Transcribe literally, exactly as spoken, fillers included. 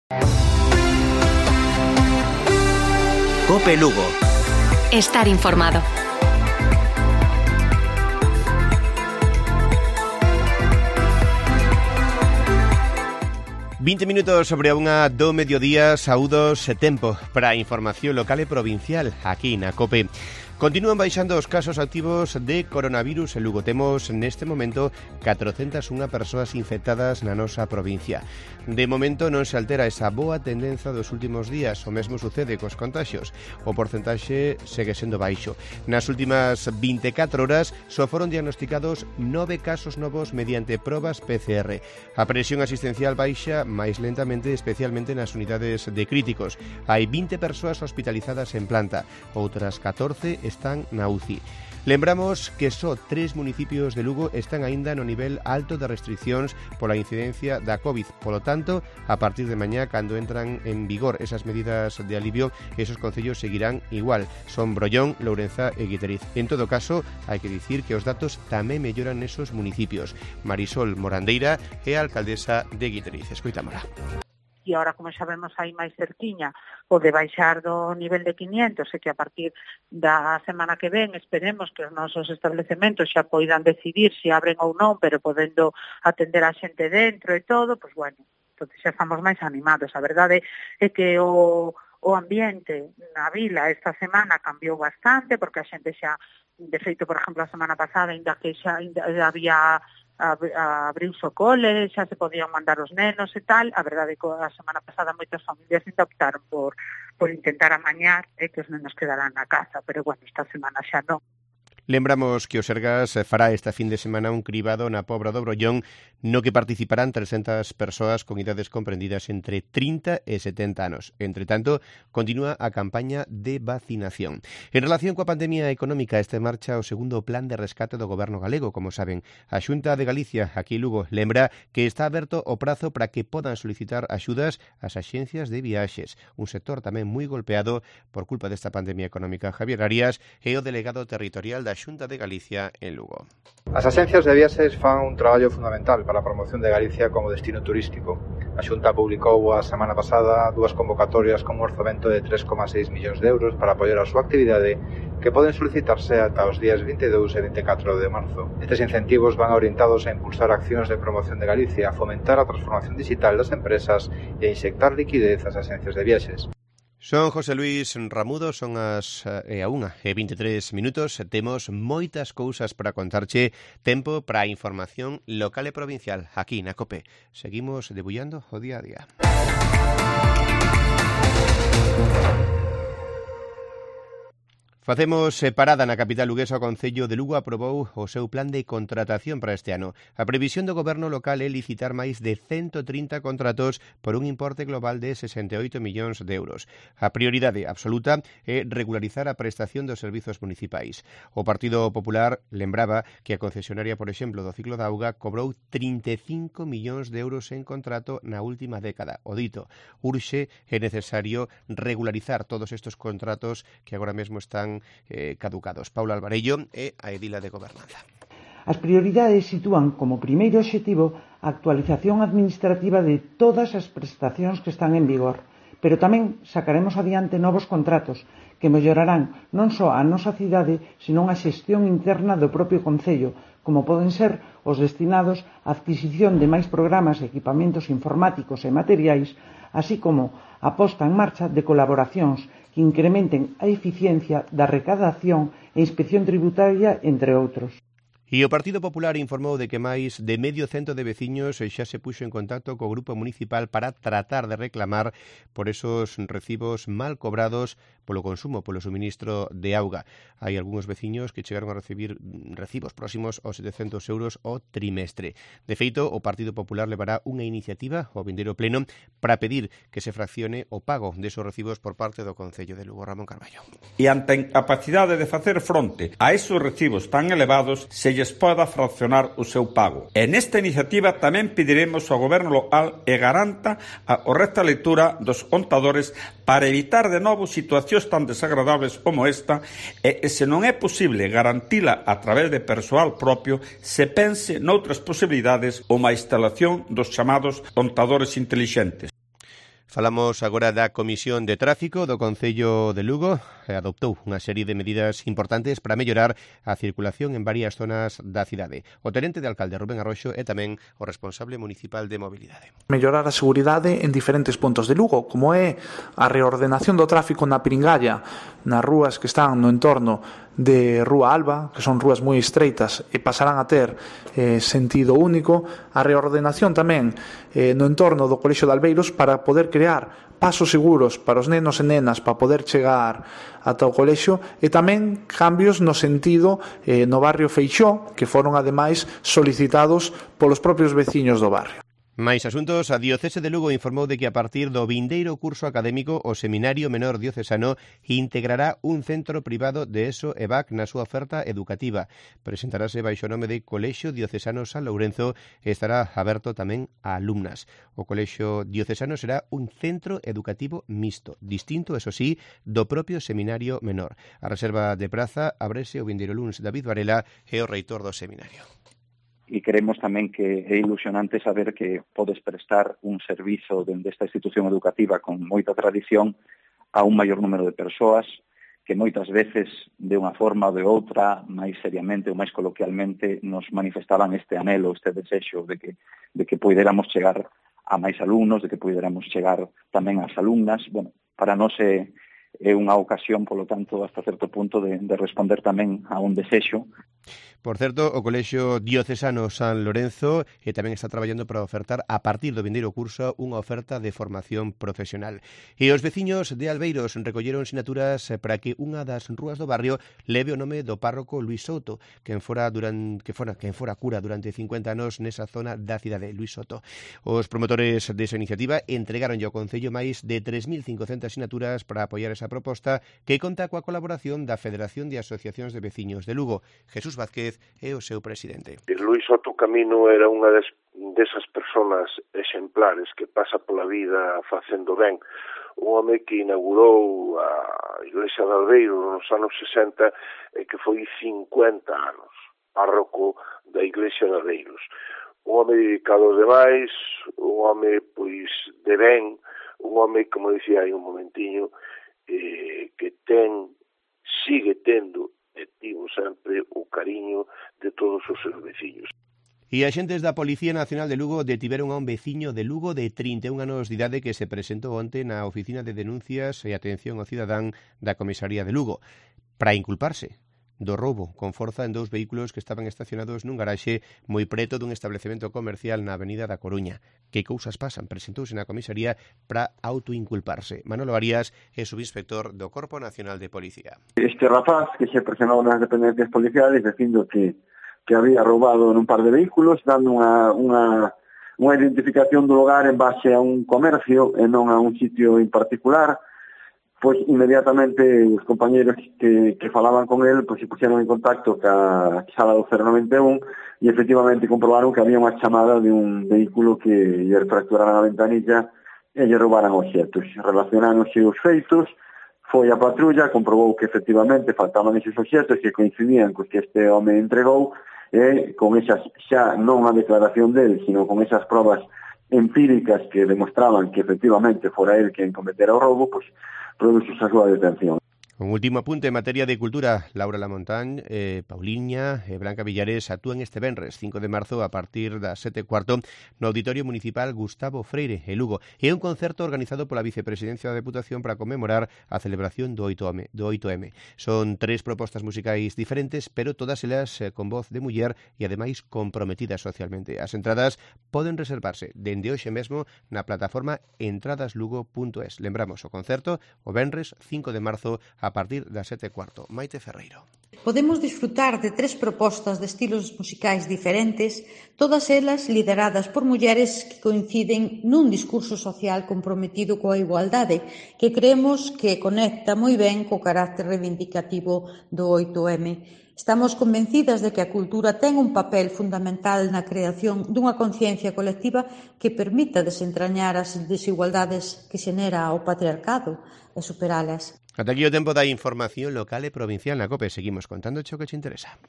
COPE Lugo. Estar informado. vinte minutos sobre a unha do mediodía, saúdos e tempo para a información local e provincial aquí na COPE. Continúan baixando os casos activos de coronavirus en Lugo. Temos neste momento catrocentas unha persoas infectadas na nosa provincia. De momento non se altera esa boa tendenza dos últimos días. O mesmo sucede cos contaxios. O porcentaxe segue sendo baixo. Nas últimas vinte e catro horas só foron diagnosticados nove casos novos mediante probas P C R. A presión asistencial baixa máis lentamente, especialmente nas unidades de críticos. Hai vinte persoas hospitalizadas en planta, outras catorce están na U C I. Lembramos que só tres municipios de Lugo están aínda no nivel alto de restriccións pola incidencia da COVID. Polo tanto, a partir de mañá, cando entran en vigor esas medidas de alivio, esos concellos seguirán igual. Son Brollón, Lourenza e Guiteriz. En todo caso, hai que dicir que os datos tamén melloran nesos municipios. Marisol Morandeira é a alcaldesa de Guiteriz. Escoitámola. E agora, como xa vemos aí máis cerquiña, o de baixar do nivel de quinientos, e que a partir da semana que ven esperemos que os nosos establecementos xa poidan decidir se abren ou non, pero podendo atender a xente dentro e todo, pois bueno, entón xa estamos máis animados. A verdade é que o, o ambiente na vila esta semana cambiou bastante, porque a xente xa, de feito, por exemplo, a semana pasada, ainda que xa ainda había abriuse o cole, xa se podían mandar os nenos e tal. A verdade é que a semana pasada moitas familias ainda optaron por, por intentar amañar e que os nenos quedaran na casa, pero bueno, esta semana xa non. Lembramos que o Sergas fará esta fin de semana un cribado na Pobra do Brollón no que participarán trescentas persoas con idades comprendidas entre trinta e setenta anos. Entre tanto, continúa a campaña de vacinación. En relación coa pandemia económica, este marcha o segundo plan de rescate do Goberno galego. Como saben, a Xunta de Galicia, aquí en Lugo, lembra que está aberto o prazo para que podan solicitar axudas ás axencias de viaxes, un sector tamén moi golpeado por culpa desta pandemia económica. Javier Arias é o delegado territorial da Xunta de Galicia en Lugo. As axencias de viaxes fan un traballo fundamental para a promoción de Galicia como destino turístico. A Xunta publicou a semana pasada dúas convocatorias con un orzamento de tres coma seis millóns de euros para apoiar a súa actividade, que poden solicitarse ata os días vinte e dous e vinte e catro de marzo. Estes incentivos van orientados a impulsar accións de promoción de Galicia, a fomentar a transformación digital das empresas e a inyectar liquidez ás axencias de viaxes. Son José Luis Ramudo, son as e a unha e vinte e tres minutos. Temos moitas cousas para contarche. Tempo para a información local e provincial aquí na COPE. Seguimos debullando o día a día. Facemos parada na capital luguesa. O Concello de Lugo aprobou o seu plan de contratación para este ano. A previsión do goberno local é licitar máis de ciento trinta contratos por un importe global de sesenta e oito millóns de euros. A prioridade absoluta é regularizar a prestación dos servizos municipais. O Partido Popular lembraba que a concesionaria, por exemplo, do ciclo da auga cobrou trinta e cinco millóns de euros en contrato na última década. O dito, urxe é necesario regularizar todos estes contratos que agora mesmo están Eh, caducados. Paula Alvarello é a edila de Gobernanza. As prioridades sitúan como primeiro obxectivo a actualización administrativa de todas as prestacións que están en vigor, pero tamén sacaremos adiante novos contratos que mellorarán non só a nosa cidade, senón a xestión interna do propio Concello, como poden ser os destinados á adquisición de máis programas e equipamentos informáticos e materiais, así como a posta en marcha de colaboracións que incrementen a eficiencia da recadación e inspección tributaria, entre outros. E o Partido Popular informou de que máis de medio cento de veciños xa se puxo en contacto co Grupo Municipal para tratar de reclamar por esos recibos mal cobrados polo consumo, polo suministro de auga. Hai algúns veciños que chegaron a recibir recibos próximos aos setecentos euros ao trimestre. De feito, o Partido Popular levará unha iniciativa ao vindeiro pleno para pedir que se fraccione o pago desos recibos por parte do Concello de Lugo. Ramón Carballo. E ante a incapacidade de facer fronte a esos recibos tan elevados, se lles poda fraccionar o seu pago. E nesta iniciativa tamén pediremos ao Goberno local e garanta a correcta lectura dos contadores para evitar de novo situacións tan desagradables como esta, e se non é posible garantila a través de persoal propio, se pense noutras posibilidades ou a instalación dos chamados contadores intelixentes. Falamos agora da Comisión de Tráfico do Concello de Lugo. Adoptou unha serie de medidas importantes para mellorar a circulación en varias zonas da cidade. O tenente de alcalde Rubén Arroxo é tamén o responsable municipal de mobilidade. Mellorar a seguridade en diferentes puntos de Lugo, como é a reordenación do tráfico na Piringalla, nas rúas que están no entorno de Rúa Alba, que son rúas moi estreitas e pasarán a ter eh, sentido único, a reordenación tamén eh, no entorno do Colexio de Albeiros para poder crear pasos seguros para os nenos e nenas para poder chegar ata o colexio, e tamén cambios no sentido eh, no barrio Feixó, que foron ademais solicitados polos propios veciños do barrio. Máis asuntos, a Diocese de Lugo informou de que a partir do vindeiro curso académico o Seminario Menor Diocesano integrará un centro privado de ESO e V A C na súa oferta educativa. Presentarase baixo o nome de Colexio Diocesano San Lourenzo e estará aberto tamén a alumnas. O Colexio Diocesano será un centro educativo mixto, distinto, eso sí, do propio Seminario Menor. A reserva de praza abrese o vindeiro luns. David Varela é o reitor do seminario. E creemos tamén que é ilusionante saber que podes prestar un servizo dende esta institución educativa con moita tradición a un maior número de persoas que moitas veces, de unha forma ou de outra, máis seriamente ou máis coloquialmente, nos manifestaban este anhelo, este desexo de que, de que poderamos chegar a máis alumnos, de que poderamos chegar tamén ás alumnas. Bueno, para nós é, é unha ocasión, polo tanto, hasta certo punto de, de responder tamén a un desexo. Por certo, o Colexio Diocesano San Lourenzo e tamén está traballando para ofertar a partir do vindeiro curso unha oferta de formación profesional. E os veciños de Albeiros recolleron sinaturas para que unha das rúas do barrio leve o nome do párroco Luís Souto, quen fora, durante, que fora, quen fora cura durante cincuenta anos nesa zona da cidade, Luís Soto. Os promotores desa iniciativa entregaronlle ao Concello máis de tres mil cincocentas sinaturas para apoiar esa proposta, que conta coa colaboración da Federación de Asociacións de Veciños de Lugo. Jesús Vázquez é o seu presidente. Luís Soto Camino era unha des, desas persoas exemplares que pasa pola vida facendo ben. Un home que inaugurou a Iglesia de Albeiros nos anos sesenta e que foi cincuenta anos párroco da Iglesia de Albeiros. Un home dedicado aos demais, un home pois de ben, un home, como dicía hai un momentiño, eh, que ten, sigue tendo e tivo sempre o cariño de todos os seus veciños. E axentes da Policía Nacional de Lugo detiveron a un veciño de Lugo de trinta e un anos de idade que se presentou onte na Oficina de Denuncias e Atención ao Cidadán da Comisaría de Lugo para inculparse do roubo con forza en dous vehículos que estaban estacionados nun garaxe moi preto dun establecemento comercial na Avenida da Coruña. Que cousas pasan? Presentouse na comisaría para autoinculparse. Manolo Arias é subinspector do Corpo Nacional de Policía. Este rapaz que se presionou nas dependencias policiales dicindo que, que había roubado nun par de vehículos, dando unha, unha, unha identificación do lugar en base a un comercio e non a un sitio en particular. Pois inmediatamente os compañeros que, que falaban con él pois se puxeron en contacto ca sala do cero noventa e un e efectivamente comprobaron que había unha chamada de un vehículo que lle fracturaran a ventanilla e lle roubaran obxectos. Relacionáronse os feitos, foi a patrulla, comprobou que efectivamente faltaban esos obxectos que coincidían cos que este home entregou e con esas, xa non a declaración del, sino con esas probas empíricas que demostraban que efectivamente fora el quen cometera o roubo, pois produce a súa detención. Un último apunte en materia de cultura. Laura Lamontagne, eh, Pauliña e eh, Blanca Villares actúan este venres cinco de marzo a partir das sete e cuarto no Auditorio Municipal Gustavo Freire, en Lugo. É un concerto organizado pola Vicepresidencia da Deputación para conmemorar a celebración do oito eme. Son tres propostas musicais diferentes, pero todas elas eh, con voz de muller e ademais comprometidas socialmente. As entradas poden reservarse dende hoxe mesmo na plataforma entradaslugo punto es. Lembramos o concerto o venres cinco de marzo a a partir das sete e cuarto. Maite Ferreiro. Podemos disfrutar de tres propostas de estilos musicais diferentes, todas elas lideradas por mulleres que coinciden nun discurso social comprometido coa igualdade, que creemos que conecta moi ben co carácter reivindicativo do oito eme. Estamos convencidas de que a cultura ten un papel fundamental na creación dunha conciencia colectiva que permita desentrañar as desigualdades que xenera o patriarcado e superalas. Ata aquí o tempo da información local e provincial na COPE. Seguimos contando o que te interesa.